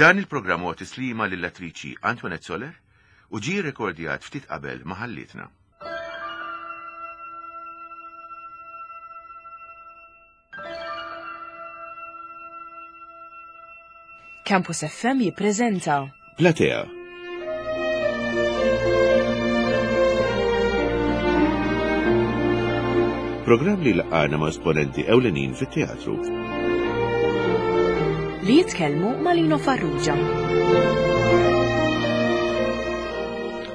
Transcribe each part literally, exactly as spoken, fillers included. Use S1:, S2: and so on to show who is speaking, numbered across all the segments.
S1: Dan il-programm huwa tislima lill-attriċi Antoinette Soler u ġie rekordjat ftit qabel ma ħallietna.
S2: Campus F M jippreżenta
S1: Platea. Programm li laqgħana ma' esponenti ewlenin fit-teatru.
S2: Li jitkellmu ma' Lino Farrugia.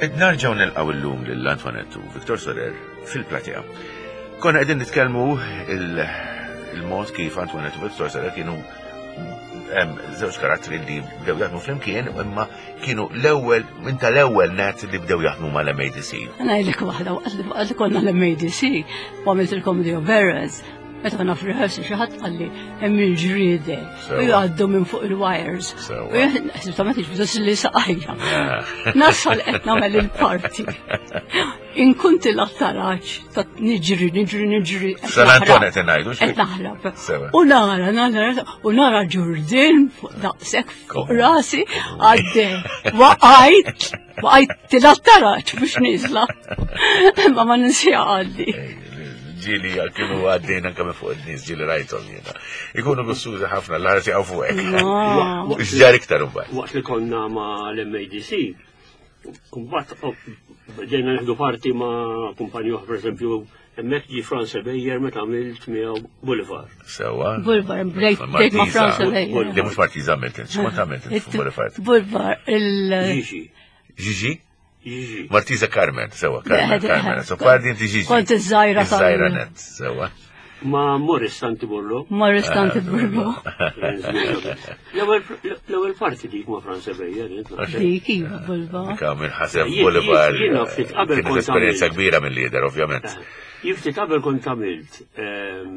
S1: Ed narġgħu nilqgħu illum lil Antoinette u Victor Soler fil-Platea. Konna qegħdin nitkellmu il-, il-mod kif Antoinette u Victor Soler kienu hemm żewġ karattri li bdew jaħdmu flimkien, imma kienu l-ewwel, minn tal-ewwel net li bdew jaħdmu mal-M A D C.
S3: Ngħidlek waħda, waqt li, waqt li konna l-M A D C u għamilt il-Comedy of Errors, meta konna f'rehearsal xi ħadd qalli hemm il-ġriede
S1: Sewa.
S3: u jgħaddu minn fuq il-wires.
S1: Sewa.
S3: U jien ħsibta ma tiġbdu li saqajja.
S1: Ah.
S3: Nasal qed nagħmel il-parti. Inkun til-attaraġ ta' niġri, niġri, niġri, qed
S1: San Anton
S3: naħrab.
S1: qed ngħidu, xi?
S3: Qed naħrab.
S1: Sewa.
S3: U nara, nara, u nara ġurdin fuq daqshekk fuq
S1: Kom.
S3: rasi għaddej. Waqajt, waqajt til-attaraġ biex niżla. Imma ma ninsija għaddi.
S1: Ġili kienu għaddejn anke minn fuq in-nies, ġili rajthom jiena. Ikunu gussużi ħafna, l-ħarsi għaw fuqek.
S3: No.
S1: X'ġar iktar imbagħad?
S4: Waqt li konna ma' l-M A D C, mbagħad bdejna nieħdu parti ma' kumpanji oħra, pereżempju, hemmhekk ġie Franz Beyer meta għamilt miegħu Boulevard.
S1: Sewwa.
S3: Boulevard, bdejt bdejt ma' Franz Beyer.
S1: Li mhux Martiza għamilt int, x'kont għamilt int fuq Boulevard?
S3: Boulevard, il-
S4: Gigi.
S1: Gigi?
S4: Gigi.
S1: Martiza Carmen, sewa, Carmen,
S3: Le, le,
S1: Carmen.
S3: le.
S1: So parti inti Gigi.
S3: Kont iż-żgħira tal-
S1: Iż-żgħira net, sewa.
S4: Ma' Morris Santiburlo.
S3: Morris Santiburlo.
S4: L-ewwel, l-ewwel parti dik ma' Franz Beyer, int naħseb.
S3: Dik, iva, Boulevard.
S1: Dik minn ħaseb
S4: Jien-
S1: Boulevard,
S4: jiena ftit qabel
S1: kienet
S4: kont
S1: esperjenza
S4: għamilt.
S1: kbira mill-lider, ovvjament.
S4: Jien ftit qabel kont għamilt, ehm,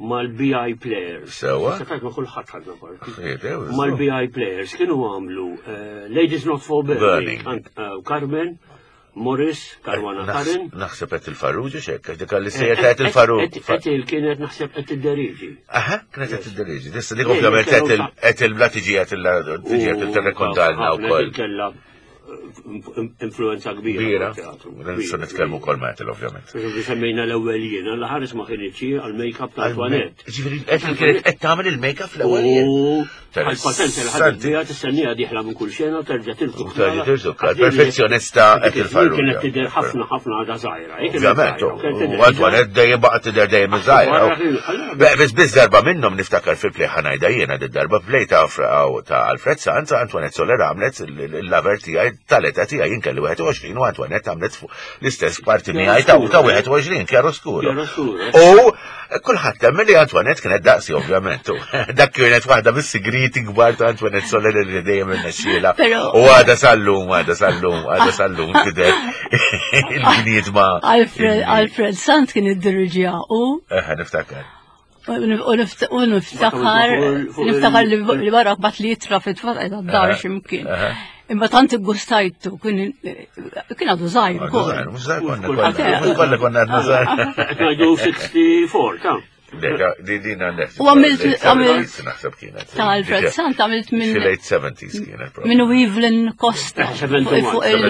S4: mal-B I Players.
S1: Sewa.
S4: Issa tajt ma' kulħadd ħadna parti.
S1: Xiet, ew,
S4: Mal-B I Players kienu għamlu, eh, Ladies Not For Burning.
S1: Burning.
S4: Ant, eh, Carmen, Morris, Caruana
S1: Naħs-
S4: Karin.
S1: Naħseb qed il-Farrugia x'hekk, għax dik li sejjer qed il-Farrugia.
S4: Qed il kienet naħseb qed id-deriġi.
S1: Aha, kienet qed id-deriġi. Issa dik
S4: Le,
S1: ovvjament
S4: kienu
S1: qed il-
S4: sa-
S1: qed il-bla tiġi qed il- tiġi qed tirrekontalna
S4: Ħafna
S1: wkoll.
S4: Kella influenza kbira.
S1: Kbira.
S4: tat-teatru.
S1: Nistgħu nitkellmu wkoll ma' Ethel, ovvjament.
S4: Pereżempju, semmejna l-ewwel jiena, la ħares ma kienx għall-make-up ta' Antoinette.
S1: Ġifieri, Ethel kienet qed tagħmel il-make-up fl-ewwel jien.
S4: U
S1: Interessanti.
S4: għal-patent li ħadet biha tistennija dieħla minn kull xena u terġa' tiltu.
S1: U terġa' tiltu, perfezzjonista Ethel Farrugia.
S4: Kienet tidher ħafna ħafna għadha żgħira. Hi kienet
S1: Ovvjament,
S4: żgħira, u kienet tidher
S1: u Antoinette dejjem baqgħet tidher dejjem żgħira.
S4: Barra kien- allora-
S1: Beh, biss biss darba minnhom niftakar fil-play ħanajda jiena di darba play ta' Fra-, ta' Alfred Sant, Antoinette Soler għamlet il-, il-lover tiegħi tal-età tiegħi jien kelli wieħed u għoxrin u Antoinette għamlet fuq l-istess parti miegħi ta' ta' wieħed u għoxrin, chiaroscuro.
S4: Chiaroscuro.
S1: U kulħadd temmen li Antoinette kienet daqsi ovvjament. U dak kienet waħda mis-sigriti kbar ta' Antoinette Soler li dejjem irnexxielha.
S3: Però
S1: U għada sal-lum, għada sal-lum, għada sal-lum tidher il-bniedma.
S3: Alfred,
S1: illi-
S3: Alfred Sant kien iddiriġiha u
S1: Eħe, niftakar.
S3: U nif-, u niftakar,
S4: Fuq il-
S3: niftakar li, li wara bat li jitra fit-tfal qed għad-dar
S1: Aha,
S3: x'imkien.
S1: aha.
S3: Imma tant iggustajtu, kien, kien għadu żgħir
S1: Għadu
S3: ukoll.
S1: żgħir, mhux żgħir konna
S4: Kull
S1: kollha,
S3: ħadd.
S1: mhux kollha konna għadna żgħar.
S4: Qed ngħidu sixty-four, ta'
S1: Le, da, di-, din għandek.
S3: U għamilt-
S1: Late
S3: għamilt
S1: seventies naħseb kienet.
S3: Ta' Alfred Sant għamilt minn
S1: Xi late seventies kienet, probably.
S3: minn Evelyn Costa.
S4: Seventy-one.
S3: Fuq il-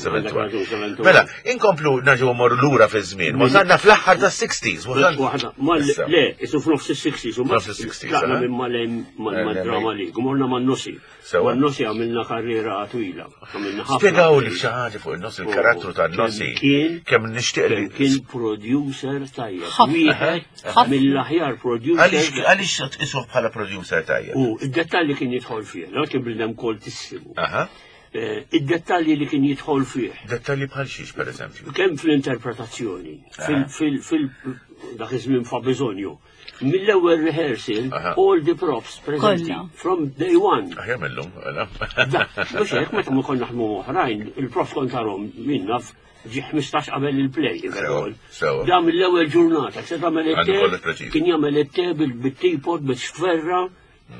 S1: Seventy-one, seventy-one. Mela, inkomplu nerġgħu mmorru lura fiż-żmien. Wasalna fl-aħħar tas-sixties, wasalna.
S4: Waħda, ma
S1: Issa.
S4: le, isu f'nofs is-sixties, u
S1: F'nofs is-sixties,
S4: tlaqna
S1: eh?
S4: minn mal-em, mal-
S1: Eh,
S4: mal-drama
S1: le,
S4: league, u morna man-Nossi.
S1: Sewa.
S4: Man-Nossi għamilna karriera twila. Għamilna ħafna.
S1: Spjegaw li xi ħaġa fuq in-Nossi, il-karattru tan-Nossi.
S4: Kien
S1: Kemm nixtieq li
S4: kien producer tajjeb.
S3: Ħafna.
S4: Wieħed
S3: Ħafna.
S4: mill-aħjar producer.
S1: Għaliex għaliex tqisuh bħala producer tajjeb?
S4: U id-dettalji kien jidħol fih, no kien bniedem koltissimu.
S1: Aha.
S4: Eh, id-dettalji li kien jidħol fih.
S1: Dettalji bħal xiex, per eżempju.
S4: Kemm fl-interpretazzjoni, fil-, fil-, fil-, dak iż-żmien fa' bżonju. Mill-ewwel rehearsal,
S1: Aha.
S4: all the props preżenti
S3: Kollha.
S4: from day one.
S1: Aħjar mill-lum, mela.
S4: Da, mhux hekk meta ma konna naħdmu oħrajn, il-props kont tarhom min naf ġi ħmistax qabel il-play, if at
S1: Sewa,
S4: all.
S1: sewa.
S4: Da mill-ewwel ġurnata, se tagħmel
S1: Għandu
S4: it-te,
S1: kollox preċiż.
S4: kien jagħmel it-te bil-, bit-teapot, bit-xferra,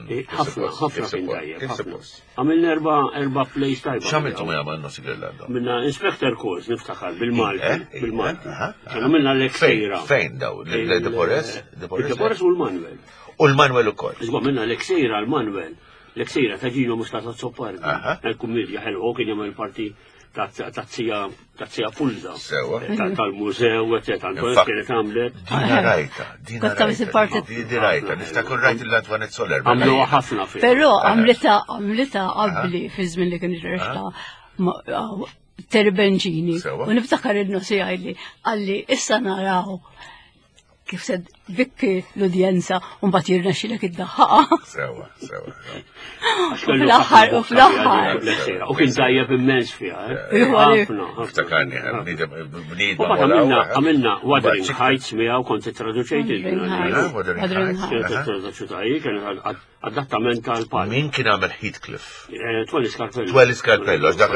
S4: eh,
S1: kif
S4: ħafna,
S1: suppost,
S4: ħafna
S1: kif
S4: kien
S1: suppost,
S4: tajjeb,
S1: kif
S4: ħafna.
S1: suppost.
S4: Għamilna erba', erba' plays tajba.
S1: X'għamiltu ma jagħmel Nossi Girlando?
S4: Minna Inspector Calls, niftakar, bil-Malti,
S1: Eh, eh,
S4: bil-Malti.
S1: aha, aha.
S4: Kien għamilna
S1: Fejn,
S4: l-Eksejra.
S1: fejn daw? Il-De Porres? De Porres?
S4: Il-De Porres u l-Manuel.
S1: U l-Manuel ukoll.
S4: Iżma minna l-Eksejra l-Manuel. L-eksira ta' Gino Muscat Azzopardi.
S1: Aha.
S4: Il-kummedja ħelwa, u kien jagħmel parti ta' ta' zija ta' zija Fulda.
S1: Sewa.
S4: Ta- Tal-mużew, eccetera. Antoinette
S1: Infatti.
S4: kienet għamlet.
S1: Dina rajta, dina
S3: Kont tagħmel
S1: rajta.
S3: il-parti-
S1: Di di rajta, niftakar rajt l-Antoinette Soler.
S4: Għamlu ħafna fiha.
S3: Però għamlita għamlita qabli fi żmien li kien irrexta Terry Bencini.
S1: Sewa.
S3: U niftakar il-nosi għalli għalli issa naraw kif se bikki l-udjenza u mbagħad jirnexxilek id-daħħaqa.
S1: Sewa, sewa.
S4: Għax
S3: U
S4: kellu
S3: fl-aħħar,
S4: ħafna
S3: u fl-aħħar.
S4: boxta fiha l-eksira. U kien tajjeb immens fiha. eh.
S3: Iva, li-
S4: Ħafna, ħafna.
S1: Ftakarni, bniedem, bniedem.
S4: U bat għamilna, għamilna Wuthering Heights miegħu kont traduċejt
S3: Wuthering
S4: il-
S3: Heights.
S1: Wuthering
S3: Wuthering
S1: Heights.
S3: Heights.
S4: Kienet traduċuta hi, kienet ad- adattament tal-pal.
S1: Min kien għamel Heathcliff?
S4: Eh, Twelli Scarpello.
S1: Twelli Scarpello, għax dak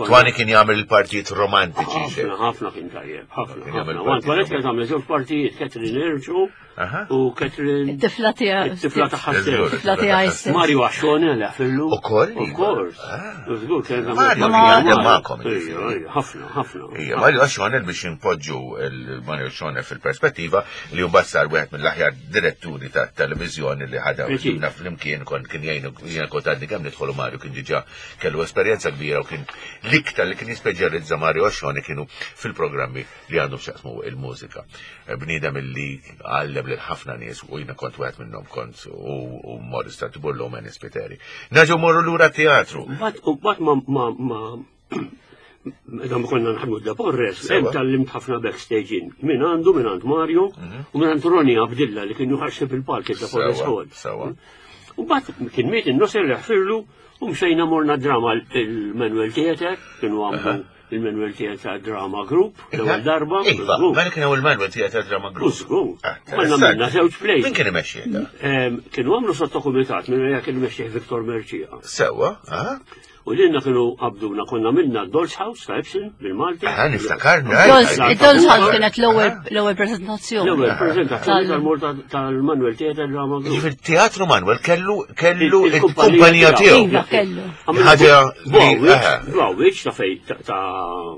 S1: Twani kien jagħmel il-partijiet romantiċi.
S4: Ħafna, ħafna kien tajjeb, ħafna,
S1: Kien jagħmel
S4: ħafna.
S1: partijiet
S4: Antoinette kienet għamlet żewġ partijiet, Catherine Erġu
S1: Aha.
S4: u Catherine
S3: It-tifla tiegħek.
S4: it-tifla tagħha
S1: Żgur.
S4: stess.
S3: Tifla tiegħi stess.
S4: Mario Ascione leħfillu.
S1: Ukoll?
S4: Of course.
S1: Ah.
S4: Żgur, kienet għamlet-
S1: Mario
S3: kien
S1: jaħdem magħkom,
S4: Ejja,
S1: jiġifieri.
S4: ejja, ħafna, ħafna.
S1: Ija, Mario Ascione biex impoġġu il-Mario Ascione fil-perspettiva li mbagħad sar wieħed mill-aħjar diretturi ta' televizjoni li ħadha
S4: Preċiż.
S1: ħdimna flimkien kon kien jgħinu jiena kont għadni kemm nidħolu Mario kien diġà kellu esperjenza kbira u kien l-iktar li kien jispeċjalizza Mario Ascione kienu fil-programmi li għandhom x'jaqsmu il-mużika. Bniedem illi għallem lil ħafna nies u jiena kont wieħed minnhom kont u u Morris Tartiburlo u Manny Spiteri. Naġu morru lura teatru.
S4: Mbagħad mbagħad ma ma ma meta ma konna nħadmu da Porres,
S1: Sewa.
S4: hemm tallimt ħafna backstage in. Min għandu, min għand Mario, u min għand Ronnie Abdilla li kien juħaxxeb il-palk da Porres
S1: Sewa,
S4: Hall.
S1: sewa.
S4: U mbagħad kien miet in-nosser li ħfirlu u mxejna morna drama il-Manuel Theater, kienu għamlu il-Manuel Theater Drama Group, l-ewwel darba.
S1: Iva,
S4: żgur.
S1: mela kien ewwel Manuel Theater Drama
S4: U
S1: Group.
S4: żgur.
S1: Ah,
S4: Konna
S1: interessanti.
S4: minna żewġ plays.
S1: Min kien imexxi da?
S4: Em, Kienu għamlu sottokumitat minn għalija kien imexxih Viktor Merċija.
S1: Sewa, ah?
S4: U lilna kienu qabduna konna minna Doll's House ta' Epson bil-Malti.
S1: Ah, niftakarni.
S3: Dolls-
S1: Aj, aj,
S3: Dolls House
S1: aj.
S3: kienet l-ewwel l-ewwel prezentazzjoni.
S4: L-ewwel prezentazzjoni
S3: Tal-
S4: tal-Morta tal-Manuel Theater Drama Group.
S1: Jiġifieri teatru Manuel kellu kellu
S4: Il-
S1: il-kumpanija tiegħu.
S3: Iva, kellu.
S1: Ħaġa li- aha.
S4: Bawwitx ta' fej ta' ta'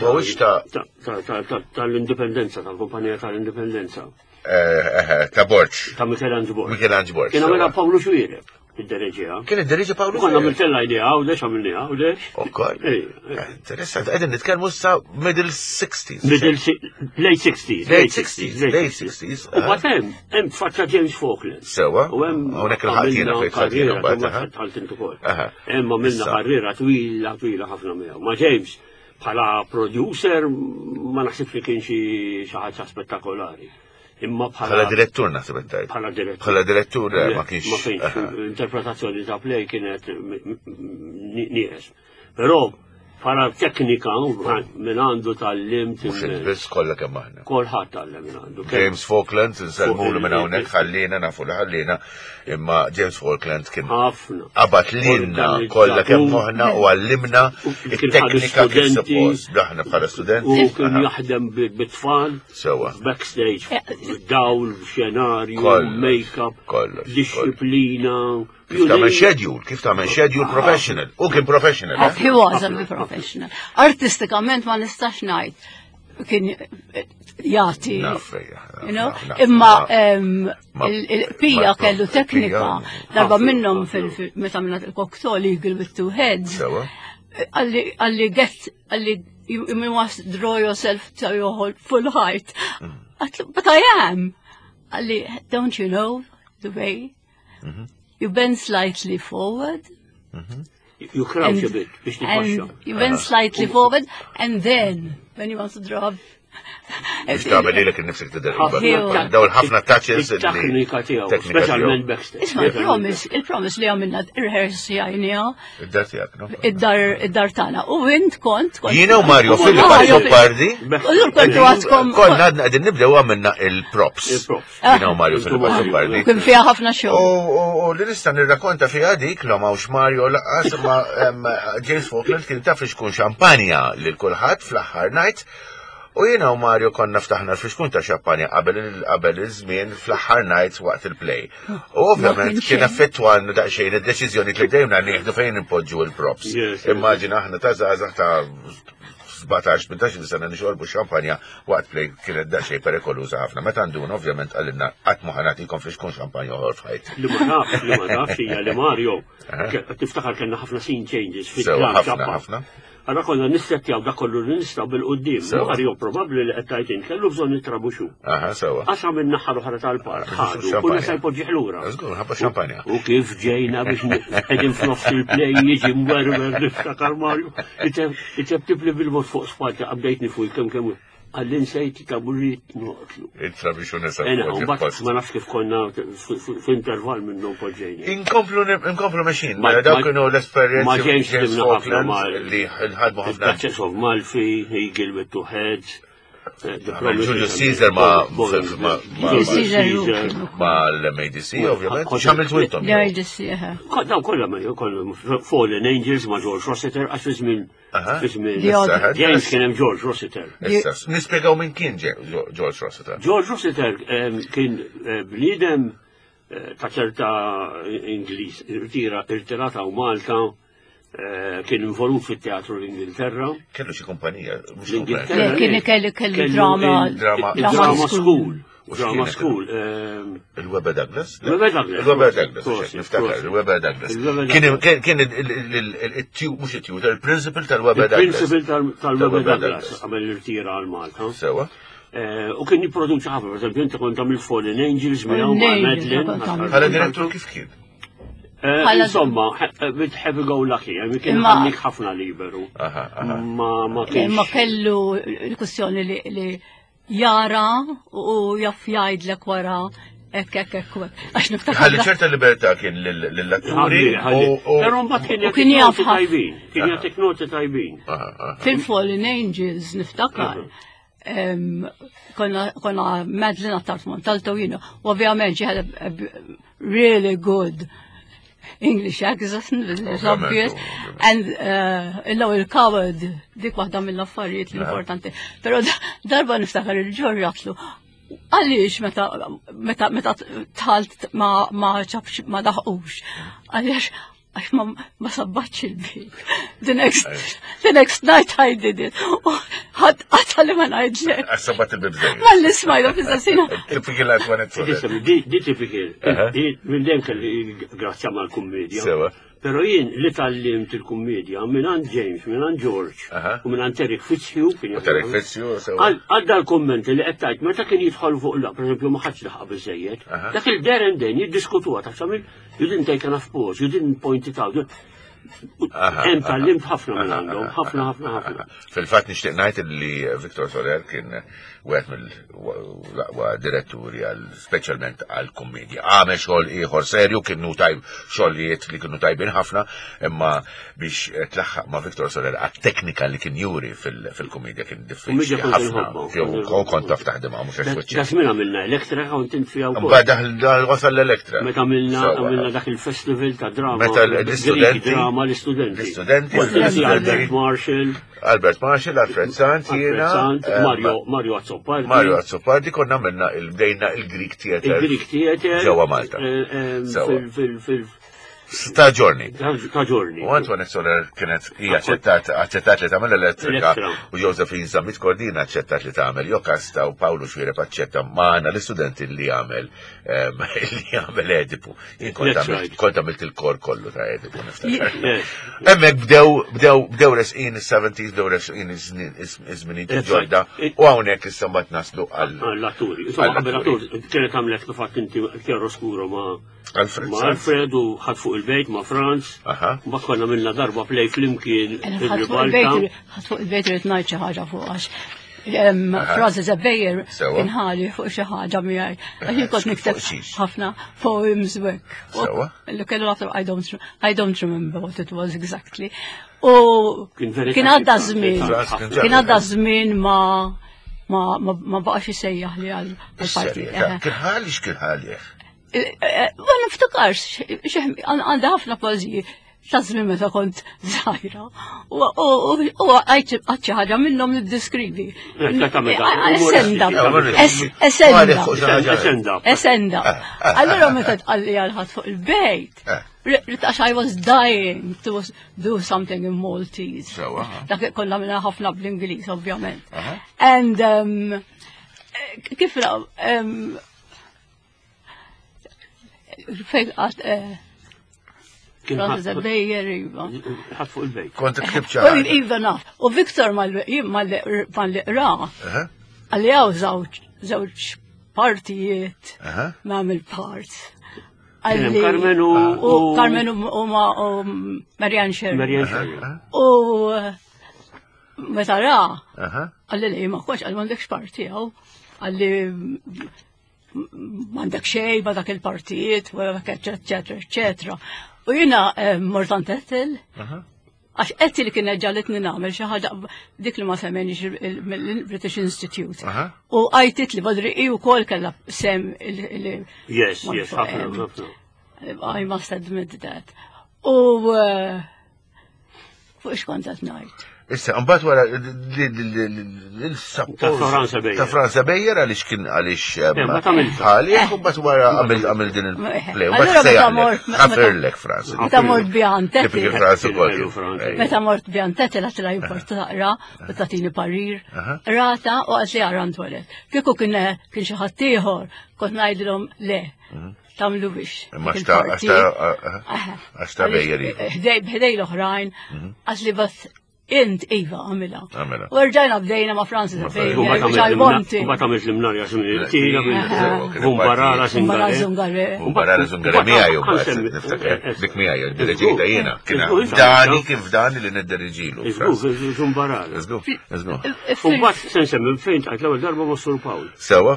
S1: Bawwitx ta'
S4: ta' ta' ta' tal-Indipendenza, tal-kumpanija tal-Indipendenza,
S1: eh, eh, ta' Borġ.
S4: ta' Michelangelo Borg.
S1: Michelangelo Borg.
S4: Kien
S1: sewa.
S4: għamilha Pawlu Xuireb, id-dereġija.
S1: Kien id-diriġi Pawlu.
S4: Konna
S1: Xuereb.
S4: għamiltella idea għawdex, għamilniha għawdex.
S1: Ukoll.
S4: Ej, ej.
S1: Eh, Interessanti, qegħdin nitkellmu sa middle sixties.
S4: Middle, si- late sixties.
S1: Late sixties, late sixties.
S4: U bat hemm, hemm tfaċċa James Falkland.
S1: Sewa.
S4: U hemm
S1: Hawnhekk il-ħadd jiena
S4: għamilna
S1: fejn tħadd jiena
S4: karriera,
S1: mbagħad,
S4: mbagħad
S1: aha.
S4: tħalt int ukoll.
S1: Aha.
S4: Hemm għamilna
S1: Issa.
S4: karriera twila, twila ħafna miegħu. Ma James, bħala producer, ma naħsibx li kien xi xi ħaġa spettakolari. Imma
S1: Bħala
S4: bħala
S1: direttur naħseb intajt.
S4: bħala direttur.
S1: Bħala direttur eh, ma kienx.
S4: Ma kienx.
S1: aha.
S4: Interpretazzjoni ta' play kienet m- m- m- nieqes. Però bħala teknika minn għandu tal-limt
S1: Mhux il-biss kollha kemm aħna.
S4: kolħadd tallem minn għandu.
S1: James Falkland, nsellmulu minn hawnhekk ħallina nafu li ħallina, imma James Falkland kien
S4: ħafna.
S1: qabad lilna kollha kemm moħħna u għallimna
S4: U kien ħadu
S1: it-teknika kif
S4: studenti.
S1: suppost. Aħna bħala studenti.
S4: U kien
S1: Aha.
S4: jaħdem bi- bit-tfal,
S1: Sewa.
S4: backstage, dawl, xenarju,
S1: Kollox,
S4: make-up,
S1: kollox,
S4: disciplina.
S1: Kif tagħmel schedule, kif tagħmel schedule professional. U kien professional. eh?
S3: He was a professional. Artistikament ma nistax ngħid kien jagħti.
S1: Naf, ejja,
S3: You know,
S1: naf, naf,
S3: imma
S1: naf.
S3: em,
S1: Ma-
S3: il- il-Pija
S1: ma-
S3: kellu teknika
S1: Pija-
S3: darba
S4: Ħafna,
S3: minnhom
S4: ħafna.
S3: fil- meta minna il-Cocteau Eagle with Two Heads.
S1: Sewa.
S3: Għalli għalli get għalli you, you must draw yourself to your whole full height.
S1: Mm.
S3: Għatlu, But I am. Għalli, don't you know the way?
S1: Mm-hmm.
S3: You bend slightly forward.
S4: You crouch a bit biex titbaxxa.
S3: and you bend slightly forward, and then when you want to draw,
S1: Biex tagħmel lilek innifsek tidher.
S4: Ħafna.
S1: Daw il-ħafna touches. li-
S4: Il-teknika tiegħu,
S1: teknika
S4: speċjalment
S1: tiegħu.
S4: backstage.
S3: Isma' il-promise, il-promise li għamilna rehearse jajnija
S1: Id-dar tiegħek, no?
S3: id-dar id-dar tagħna. U int kont kont.
S1: Jiena u Mario Filip
S3: Mario
S1: Azzopardi.
S3: U dur kontu għadkom.
S1: Konna għadna qegħdin nibdew għamilna il-props.
S4: Il-props.
S1: Jiena u Mario
S4: Intu
S1: Filip
S4: Mario.
S1: Azzopardi.
S3: Kien fiha ħafna
S1: U
S3: xogħol.
S1: u- u li nista' nirrakkonta fiha dik l hawnx Mario laqas ma em, James Falkland kien taf xkun xampanja lil kulħadd fl-aħħar night. U jiena u Mario konna ftaħna l-fixkun ta' xampanja qabel il- qabel iż-żmien fl-aħħar night waqt il-play. U ovvjament
S3: Ma kienx
S1: kien
S3: hemm.
S1: affettwanna daqsxejn id-deċiżjoni li bdejna nieħdu fejn inpoġġu il-props.
S4: Yes, yes.
S1: Immaġina aħna ta' żgħażagħ ta' sbatax, tmintax-il sena nixorbu xampanja waqt play kienet daqsxejn perikoluża ħafna. Meta nduna ovvjament qalilna qatt ma ħa nagħtikom flixkun xampanja oħor f'ħajti.
S4: Li ma tafx, li ma tafx hija li Mario, tiftakar kellna ħafna scene changes
S1: fit-tram. Ħafna, ħafna.
S4: Allora konna nissettjaw dak kollu li nistgħu bil-quddiem. Mario probabbli li qed tgħid int kellu bżonn it-trabuxu.
S1: Aha, sewa.
S4: Qasam in-naħa l-oħra tal-park, ħadu, u nesa jpoġġih lura.
S1: Żgur, ħabba xampanja.
S4: U kif ġejna biex qegħdin f'nofs il-play jiġi mwerwer niftakar Mario. Iteb bil-mod fuq spalti qabdejtni fuq kemm kemm għallin nsejt taburit noqtlu.
S1: It-trabixu nesa.
S4: Ena, mbagħad ma nafx kif konna f'intervall minnhom poġġejna.
S1: Inkomplu inkomplu mexin, mela dawk kienu l-esperjenzi.
S4: Ma James ħdimna ħafna ma
S1: li ħadmu ħafna.
S4: Duchess of Malfi, Eagle with Two Heads.
S1: Julius Caesar ma ma l-M A D C, ovvjament. X'għamiltu intom?
S3: L-M A D C,
S4: Daw kollha ma Fallen Angels ma' George Rossiter, għax fi żmien fi żmien James kien hemm George Rossiter.
S1: Issa, nispjegaw min kien George Rossiter.
S4: George Rossiter kien bniedem ta' ċerta Ingliż, irtirata u Malta, kien involut fit-teatru l-Ingilterra.
S1: Kellu xi kumpanija.
S4: L-Ingilterra.
S3: Kien kellu kellu drama.
S4: Drama School. Drama School.
S1: Il-Webber Douglas?
S4: Il-Webber Douglas.
S1: Il-Webber Douglas, niftakar, il-Webber Douglas. Kien il-tu, mhux il-tutor, il-principal tal-Webber Douglas.
S4: Il-principal tal-Webber Douglas, għamel irtira għal Malta.
S1: Sewa.
S4: U kien jipproduċi ħafna, per esempio, inti kont għamil Fallen Angels miegħu ma' Madeline.
S1: Bħala direttur kif kien?
S4: Insomma, with happy go lucky, kien ħallik ħafna liberu. Ma ma kienx.
S3: Ma kellu l-kwestjoni li jara u jaff jgħidlek wara hekk hekk hekk. Għax niftakar.
S1: Ħalli ċerta libertà kien lill-atturi.
S4: Però mbagħad kien
S3: U kien jaf
S4: jagħtik noti tajbin, kien jagħtik noti tajbin.
S3: Fil-Fallen Angels niftakar. em, Konna konna Madeline Attard Montalto, you know, u ovvjament she had a, a really good English accent, it's obvious. And uh, l-ewwel coward, dik waħda mill-affarijiet l-importanti. Però darba niftakar il-George għedtlu, għaliex meta meta meta talt ma ma ċabx ma daħqux. Għaliex għax ma ma sabbatx il-bib. The next the next night I did it. U ħadd għatali ma ngħidlek.
S1: Għax sabbat il-bib żejjed.
S3: Ma l-ismajda fil-sasina.
S1: Typical Antoinette Soler.
S4: Di di typical. Di minn dejjem kelli grazzja mal-kummedja.
S1: Sewa.
S4: Però jien li tgħallimt il-kummedja minn għand James, minn għand George
S1: Aha.
S4: u minn għand Eric Fitzhugh. Kien
S1: U Eric Fitzhugh, sewa.
S4: Għal dal-kommenti li qed tgħid meta kien jidħol fuq la, pereżempju ma ħadx laħaq biżejjed.
S1: Aha.
S4: Dak il-there and then jiddiskutuha taf x'għamil, you didn't take enough pause, you didn't point it out.
S1: Aha,
S4: Hemm
S1: aha.
S4: tgħallimt ħafna minn
S1: Aha,
S4: għandhom,
S1: aha,
S4: ħafna ħafna ħafna.
S1: Fil-fatt nixtieq ngħid li Victor Soler kien wieħed mill-aqwa diretturi għal speċjalment għal kummedja. Għamel xogħol ieħor serju kienu tajb xogħlijiet li kienu tajbin ħafna, imma biex tlaħħaq ma' Victor Soler għat-teknika li kien juri fil-kummedja kien diffiċli
S4: Kummedja kont
S1: ħafna.
S4: inħobbha.
S1: Jew kont taf taħdimha mhux għax
S4: Da
S1: wiċċek.
S4: żmien għamilna Elektra kont int fiha wkoll.
S1: Mbagħad daħal wasal l-Elektra.
S4: Meta għamilna
S1: Sewa.
S4: għamilna dak il-festival ta' drama.
S1: Meta l-istudenti-
S4: Greek drama l-istudenti.
S1: l-istudenti,
S4: Kont inti
S1: l-istudenti.
S4: Albert Marshall,
S1: Albert Marshall, Alfred Sant,
S4: Alfred
S1: jiena,
S4: Sant,
S1: eh,
S4: Mario Mario Azzopardi.
S1: Mario Azzopardi konna għamilna il-bdejna il-Greek Theater.
S4: Il-Greek Theater.
S1: Ġewwa Malta.
S4: eh, eh,
S1: Sewa.
S4: Fil fil fil
S1: Ta' ġorni.
S4: ta' ġorni.
S1: U Antoinette Soler kienet hija aċċettat aċċettat li tagħmel Elettrika
S4: Elettra.
S1: u Josephine Zammit Cordina aċċettat li tagħmel Jokasta u Paolo Xuereb aċċetta magħna l-istudenti li jagħmel em, li jagħmel Edipu. Jien kont
S4: That's
S1: għamilt
S4: right.
S1: kont għamilt il-kor kollu ta' Edipu niftakar.
S4: Yes.
S1: Hemmhekk bdew bdew bdew resqin is-seventies, bdew resqin iż-żminijiet
S4: That's
S1: ġodda
S4: right.
S1: u hawnhekk issa mbagħad naslu għal
S4: L-atturi. Insomma, qabel
S1: Għall-atturi.
S4: attur, kienet għamlet kif għedt inti Chiaroscuro ma'
S1: Alfred
S4: ma'
S1: Sant.
S4: Alfred u ħadd fuq il-bejt ma' Franz.
S1: Aha.
S4: Mbagħad konna għamilna darba play flimkien
S3: Ħadd fuq
S4: il-ribalta.
S3: il-bejt, ħadd fuq il-bejt irrid ngħid xi ħaġa fuq għax Francis Ebejer
S1: Sewa.
S3: kien ħali fuq xi ħaġa miegħi. Għax jien kont nikteb
S1: Fuq xiex?
S3: ħafna poems u hekk.
S1: Sewa.
S3: Li kellu ħafna I don't I don't remember what it was exactly. U
S4: Kien very
S3: kien għadda
S4: touchy,
S3: żmien.
S1: Franz kien
S3: Kien għadda żmien ma ma ma ma baqax isejjaħ li għal parti.
S1: Is-serjetà. Kien ħali x'kien ħali.
S3: Ma niftakarx, għandha ħafna poeżiji ta' żmien meta kont żgħira. U għajt xi ħaġa minnhom niddeskrivi.
S4: Eh, ta' tagħmel dak,
S3: Esenda,
S1: umoristiċi.
S3: esenda,
S1: Fuq xi ħaġa.
S4: Esenda.
S3: esenda. Allura meta tqalli għal ħadd fuq il-bejt,
S1: Eh.
S3: Ridt għax I was dying to do something in Maltese.
S1: Sewa.
S3: Dak konna minna ħafna bl-Ingliż, ovvjament.
S1: Aha.
S3: And um, kif um, fejn għat eh,
S4: Kien
S3: Francis
S4: ħadd-
S3: Bejer, iva.
S4: ħadd fuq il-bejt.
S1: Kont ktibt xi
S3: U
S1: ħaġa.
S3: Iva naf. U Victor mal-li qra,
S1: Aha,
S3: għalli għaw żewġ żewġ partijiet
S1: aha.
S3: ma' parts.
S4: Kien hemm Carmen u-
S3: U
S4: u-
S3: Carmen u u ma' u Marianne Sherry.
S4: Marianne Sherry.
S3: U meta ra,
S1: Aha.
S3: għalli li ma koċ, għalli m'għandekx parti għaw, għalli m'għandek xej ma dak il-partijiet, u eccetera, eccetera. U jina eh, mort għand Ethel,
S1: Aha.
S3: għax Ethel kienet ġagħlitni nagħmel xi ħaġa dik li ma semmenix il-British Institute.
S1: Aha.
S3: U għajtit li badri i wkoll kellha sem il- il-
S4: Yes,
S3: ma
S4: yes,
S3: naf,
S4: ħafna,
S3: em,
S4: ħafna.
S3: I must admit that. U eh, fuq x'kont qed ngħid.
S1: Issa, mbagħad wara il-support
S4: Ta' Franza Beyer.
S1: Ta' Franza Beyer għaliex kien għaliex
S4: Eh, ma tagħmilx.
S1: għaliex u mbagħad wara għamil għamil din il-play. U
S3: Allura
S1: mbagħad
S3: meta mort-
S1: sejjaħlek, ħafirlek Franza.
S3: Meta mort bjan
S1: Tipik
S3: Ethel,
S1: Franza ukoll.
S4: Kien Franza.
S1: Ejja.
S3: meta mort bjan Ethel għatla jimport taqra u tatini parir. Rata u għat li għaran toilet. Kieku kien kien xi ħadd ieħor kont ngħidilhom le. Tagħmlu biex.
S1: Imma xta' għax għax ta' Beyer.
S3: Ħdej ħdej l-oħrajn, għax li bas int Iva għamilha.
S1: Għamilha.
S3: U rġajna bdejna ma' Francis Beyer,
S4: U
S3: which I wanted.
S4: mbagħad għamilt l-imnarja x'min
S1: Aha.
S4: Bumbarara
S3: Bumbarara
S4: Zingare.
S3: Zungare.
S1: U barra l-Zungare miegħi u mbagħad niftakar dik miegħi diriġejta jiena. Kien fdani kien fdani li niddiriġilu.
S4: Iżgur, Zumbarara.
S1: Iżgur, iżgur.
S4: U mbagħad se nsemmi fejn tqajt l-ewwel darba ma' Sur Pawl.
S1: Sewa,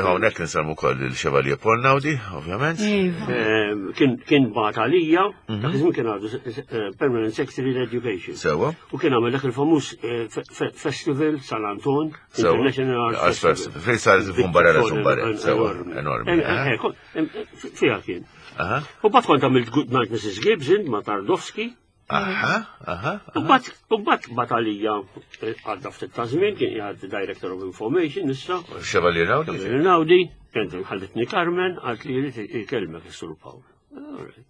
S1: hawnhekk nsemmu wkoll il-Chevalier Paul Naudi, ovvjament.
S3: Iva.
S4: Eh, Kien kien bagħat għalija, dak iż-żmien kien għadu eh, Permanent Secretary Education.
S1: Sewa.
S4: U kien għamel dak il-famuż eh, fe- fe- Festival San Anton,
S1: Sewa.
S4: International Arts
S1: Arts Festival. Fejn sar Bumbarara Zumbare. Sewa, enormi.
S4: Eh, eh, kon- eh, Fija kien.
S1: Aha,
S4: U bat kont għamilt Good Night Missus Gibbs int ma' Tardowski.
S1: aha, aha.
S4: U bat, u bat batalija għadda ftit ta' żmien kien jgħad Director of Information issa.
S1: Chevalier Naudi.
S4: Naudi, kien ħallitni Carmen, għalt li jrid ikellmek is-Sur Pawl. Alright.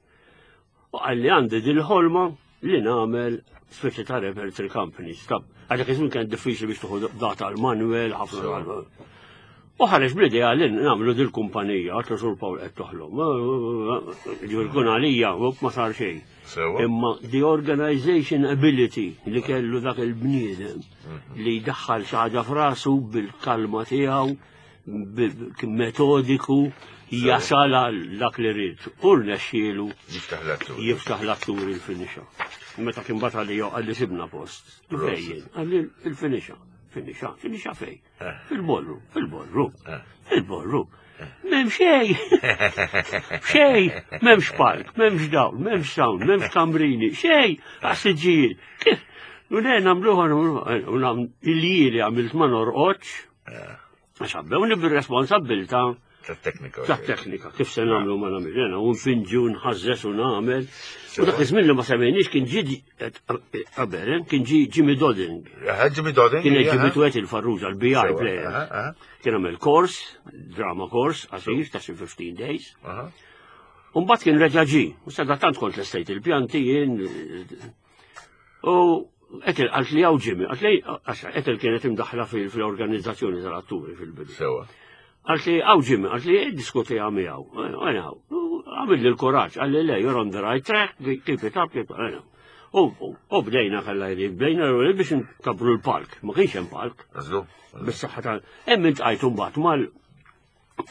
S4: U għalli għandi dil-ħolma li nagħmel speċi ta' repertory company. Stop. Għadek iż-żmien kien diffiċli biex tuħu data għal-manuel, ħafna. U ħareġ bl-idea li nagħmlu dil-kumpanija, għatlu Sur Pawl qed toħlom. Ġifieri kun għalija, u ma sar xejn.
S1: Sewa.
S4: Imma the organization ability li kellu dak il-bniedem li jdaħħal xi ħaġa f'rasu bil-kalma tiegħu, bil- kien metodiku, jasal għal dak li rid. U rnexxielu
S1: Jiftaħ l-attur.
S4: jiftaħ l-atturi l-Feniċa. Meta kien bata li għalli sibna post. Fejn? Għalli il-Feniċa. Feniċa, Feniċa fej. Fil-ballroom, fil-ballroom, fil-ballroom. M'hemm xej. Xej, m'hemmx palk, m'hemmx dawl, m'hemmx sound, m'hemmx kambrini, xej, għas-siġġijiet. Kif? U le nagħmluha, u nam il-jili għamilt ma norqodx, għax għabbewni bil-responsabilta
S1: Ta' teknika.
S4: ta' teknika, kif se nagħmlu ma nagħmel, jena, u nfinġu, nħazzes u nagħmel. U dak iż-żmien li ma semmejniex kien ġi qabel, eh, kien ġi Jimmy Dodding.
S1: Aha, Jimmy Dodding.
S4: Kien
S1: aha.
S4: Jimmy Twet il-Farrugia, l-B I
S1: Sewa,
S4: player.
S1: aha, aha,
S4: Kien għamel kors, drama course, qasir ta' xi fifteen days.
S1: aha.
S4: Umbat kien reġa ġi, u sadattant kont l-estate il-pjanti jien. U Ethel għalt li għaw Jimmy, għalt li, għax Ethel kienet imdaħla fil-organizzazzjoni tal-atturi fil-bidu.
S1: Sewa.
S4: Għalt li għaw Jimmy, għalt li diskuti għami għaw. Għana, għamil li l-kuraġġ, għalli le, you're on the right track, keep it up, keep it up. U u bdejna kalla jrid, bdejna biex nkabru l-palk, ma kienx hemm palk.
S1: Żgur.
S4: Bis-saħħa tal. Hemm intqajt mbagħad mal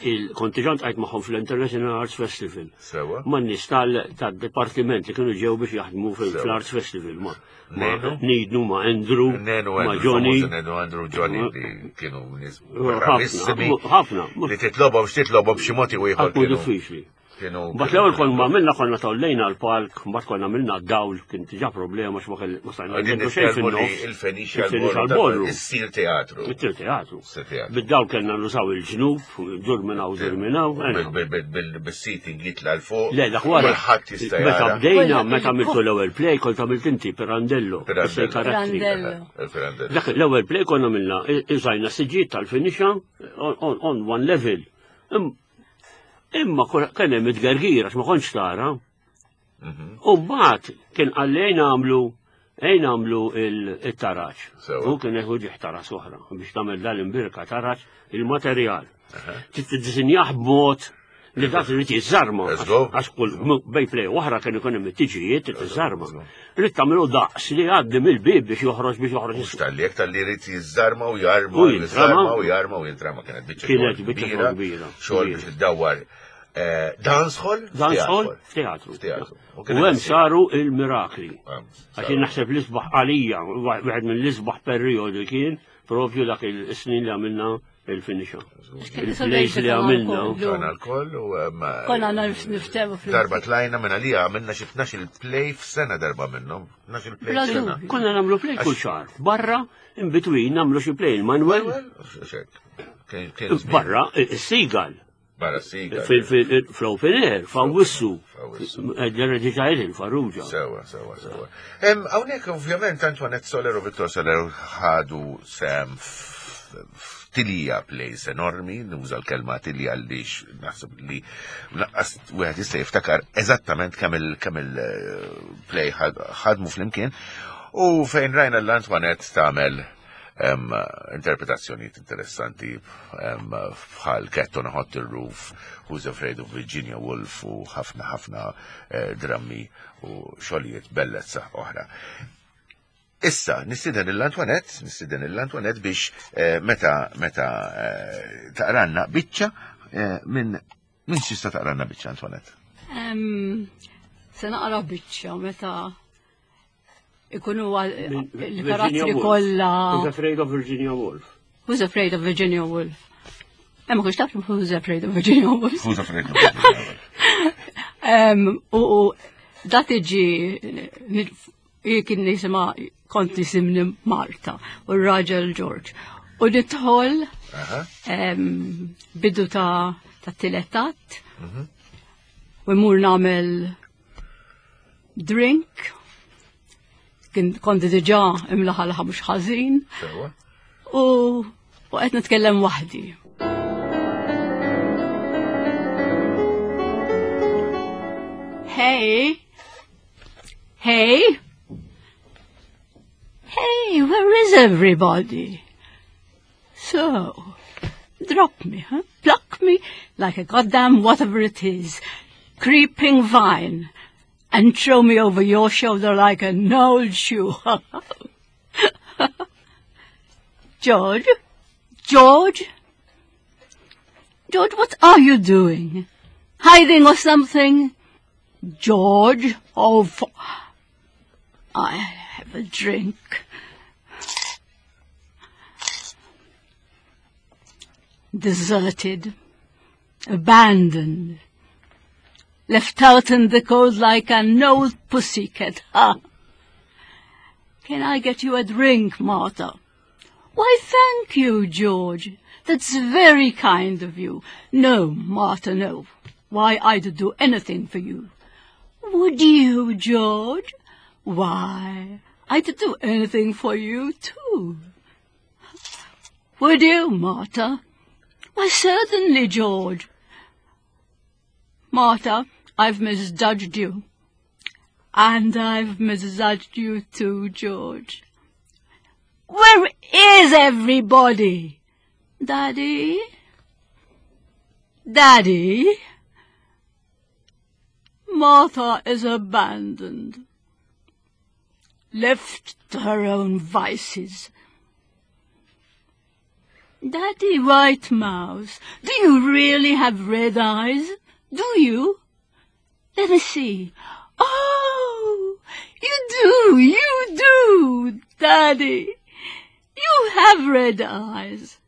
S4: il-kontiġant għajt magħhom fl-International Arts Festival.
S1: Sewa.
S4: Ma' nies tal-dipartiment li kienu ġew biex jaħdmu
S1: Sewa.
S4: fl-Arts Festival. Ma' ma'
S1: Nenu?
S4: Nidnu, ma' Andrew,
S1: Nenu
S4: ma'
S1: Andrew,
S4: Johnny.
S1: famuż Nenu Andrew Johnny li kienu nies
S4: Ħafna,
S1: bravissimi.
S4: ħafna.
S1: Li titlobhom x'titlobhom b'xi mod jew ieħor
S4: Ħafna
S1: kienu.
S4: diffiċli.
S1: Kienu.
S4: Mbagħad l-ewwel konna ma għamilna konna tollejna l-palk, mbagħad konna għamilna d-dawl, kien diġà problema x'ma kell ma stajna
S1: Għadin
S4: nagħmlu xejn
S1: nitkellmu li
S4: fin-nofs.
S1: il-Feniċja
S4: Il-Feniċja
S1: l-Borru.
S4: l-Borru.
S1: Issir teatru.
S4: It-tir teatru.
S1: Issir teatru.
S4: Bid-dawl kellna nużaw il-ġnub, dur minn hawn, dur minn hawn.
S1: Bil- bil- bil- bil- Bis-seating jitla' 'l fuq.
S4: Le, dak wara.
S1: Kulħadd jista'
S4: Meta
S1: jara.
S4: bdejna, meta għamiltu l-ewwel play, kont għamilt inti Pirandello.
S1: Pirandello.
S4: Issej karattri.
S3: Pirandello.
S1: Il-Pirandello.
S4: Dak l-ewwel play konna għamilna, użajna siġġijiet tal-Feniċa on, on, on one level. Im- Imma kien hemm it-gergira, għax ma kontx tara. U mbagħad kien qalli ejn nagħmlu ejn nagħmlu il-taraġ. U kien eħu ġieħ taraġ oħra biex tagħmel dal-imbirka taraġ il-materjal. Tiddisinjah b'mod li dak irid jiżżarma. Għax kull bej play oħra kien ikun hemm it-tiġijiet tiżżarma. Irid tagħmlu daqs li jgħaddi mill-bib biex joħroġ biex joħroġ.
S1: Mhux tal-li jekk tal-li jrid jiżżarma u jarma u jiżżarma u jarma u jintrama kienet biċċa
S4: Kienet biċċa kbira.
S1: Xogħol biex iddawwar dance hall?
S4: Dance hall f'teatru. U hemm saru il-mirakli. Għax naħseb l-isbaħ għalija, wieħed mill-isbaħ perjodu kien propju dak il-snin li għamilna il-finisha. Il-plays li għamilna.
S1: Konna l-koll u.
S3: Konna niftemu fl
S1: Darba tlajna minn għalija għamilna xi tnax il-play f'sena darba minnhom. Tnax il-play f'sena.
S4: Konna nagħmlu play kull xahar. Barra, in between nagħmlu xi play il-Manuel. Barra, is-Seagull.
S1: Barra s-Seagull.
S4: Fl-open air, f'Awwissu. Ġerra il-Farrugia.
S1: Sewa, sewa, sewa. Hawnhekk ovvjament Antoinette Soler u Victor Soler ħadu sem tilija plays enormi, nuża l-kelma tilija għaliex naħseb li naqqas wieħed jista' jiftakar eżattament kemm il kemm il-play ħadmu flimkien u fejn rajna l-Antoinette tagħmel interpretazzjonijiet interessanti bħal Cat on a Hot Roof, Who's Afraid of Virginia Woolf u ħafna ħafna drammi u xogħlijiet bellezza oħra. Issa, nistieden l-Antoinette, nistieden l-Antoinette biex meta meta taqranna biċċa minn minn xista taqranna biċċa Antoinette?
S3: Se naqra biċċa meta ikunu il-karattri kollha.
S4: Who's Afraid of Virginia Woolf?
S3: Who's Afraid of Virginia Woolf? Hemm ma tafx Who's Afraid of Virginia Woolf?
S1: Who's Afraid of Virginia
S3: Woolf? U da tiġi kien jisimha kont jisimni Marta u r-raġel George. U nidħol bidu ta' ta' tiletat u mmur nagħmel drink. Kont diġà imlaħalħa mhux ħażin. U qed nitkellem waħdi. Hey! Hey! Hey, where is everybody? So, drop me, huh? Pluck me like a goddamn whatever it is, creeping vine, and throw me over your shoulder like an old shoe. George? George? George, what are you doing? Hiding or something? George? Oh, for... I have a drink. Deserted, abandoned, left out in the cold like an old pussycat. Ha! Can I get you a drink, Martha? Why, thank you, George. That's very kind of you. No, Martha, no. Why, I'd do anything for you. Would you, George? Why, I'd do anything for you, too. Would you, Martha? Why, certainly, George. Martha, I've misjudged you. And I've misjudged you too, George. Where is everybody? Daddy? Daddy? Martha is abandoned. Left to her own vices. Daddy White Mouse, do you really have red eyes? Do you? Let me see. Oh, you do, you do, Daddy. You have red eyes.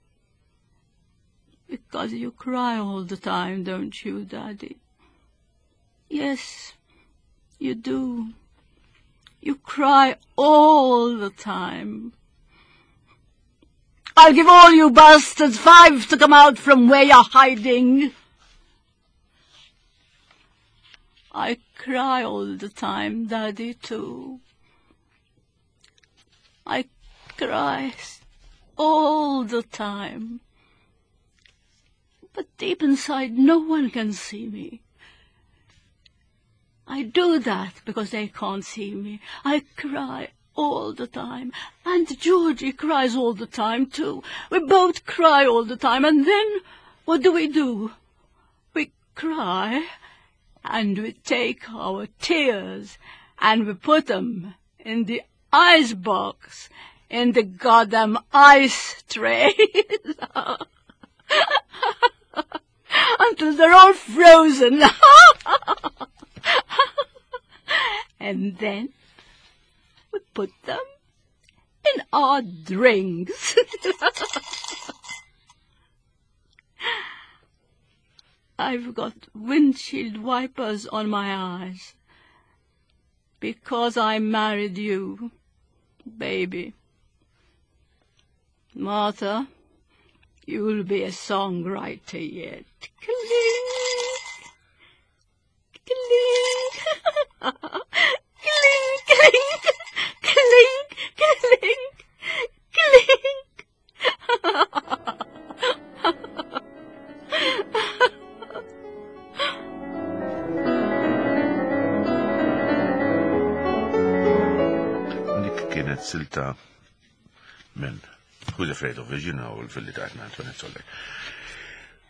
S3: Because you cry all the time, don't you, Daddy? Yes, you do. You cry all the time. I'll give all you bastards five to come out from where you're hiding. I cry all the time, Daddy, too. I cry all the time. But deep inside, no one can see me. I do that because they can't see me. I cry all the time. And Georgie cries all the time too. We both cry all the time. And then what do we do? We cry and we take our tears and we put them in the ice box, in the goddamn ice tray. Until they're all frozen. And then we put them in our drinks. I've got windshield wipers on my eyes because I married you, baby. Martha, you'll be a songwriter yet. Clink, clink, clink, clink, clink, clink, clink.
S1: Dik kienet silta minn Who's Afraid of Virginia u l-filli taħtna Antoinette Soller.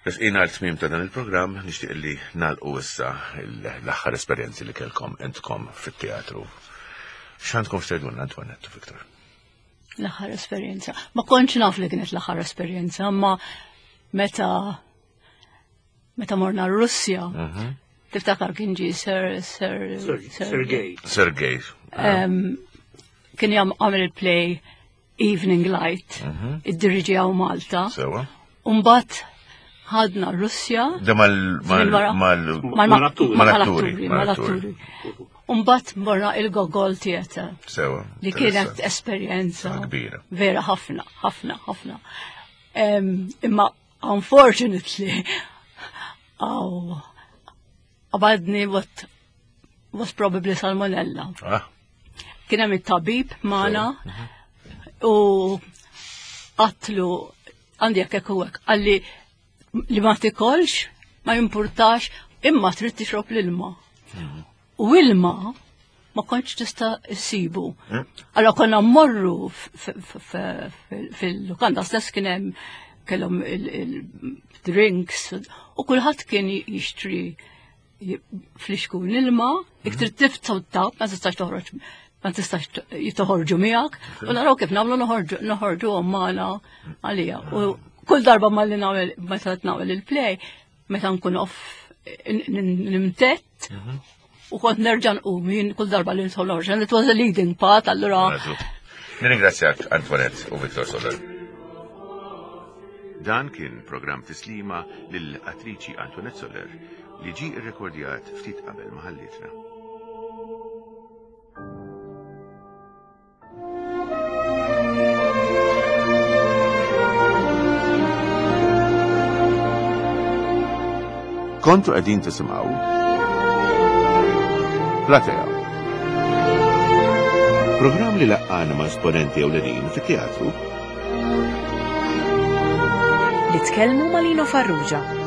S1: Resqina għal tmiem ta' dan il-programm, nixtieq li nagħlqu issa l-aħħar esperjenzi li kellkom intkom fit-teatru. X'għandkom x'tgħidulna Antoinette u Victor?
S3: L-aħħar esperjenza. Ma kontx naf li kienet l-aħħar esperjenza, ma meta meta morna r-Russja, tiftakar kien ġi Sir Sir
S4: Sergej.
S1: Sergej.
S3: Kien jam għamel il-play Evening Light, id-diriġi għaw Malta.
S1: Sewa.
S3: Umbat ħadna Russja.
S1: Da mal mal mal
S4: Mal-atturi.
S1: mal-atturi.
S3: Mal-atturi. Umbat morna il-Gogol Theatre.
S1: Sewa.
S3: Li kienet esperjenza.
S1: Kbira.
S3: Vera ħafna, ħafna, ħafna. Imma unfortunately, għaw, għabadni what was probably salmonella.
S1: Ah.
S3: Kien hemm it-tabib magħna u qatlu għandi jekk hekk u hekk qalli li ma tikolx, ma jimpurtax, imma trid tixrob l-ilma. U ilma ma kontx tista' issibu. Allora konna mmorru fil-lukanda stess kien hemm kellhom il-drinks u kulħadd kien jixtri flixkun ilma, iktar tiftaw tap, ma tistax toħroġ, ma tistax jitoħorġu miegħek, u naraw kif nagħmlu noħorġu noħorġu magħna għalija. U kull darba malli nagħmel meta nagħmel il-play, meta nkun off nimtett, u kont nerġa' nqum jien kull darba li nidħol noħroġ. And it was a leading part, allura.
S1: Nirringrazzjak Antoinette u Victor Soller. Dan kien programm tislima lill-attriċi Antoinette Soller li ġi rrekordjat ftit qabel ma ħallitna. Kontu qegħdin tisimgħu Platea. Programm li laqqana ma' esponenti ewlenin fit-teatru
S2: li tkellmu ma' Lino Farrugia.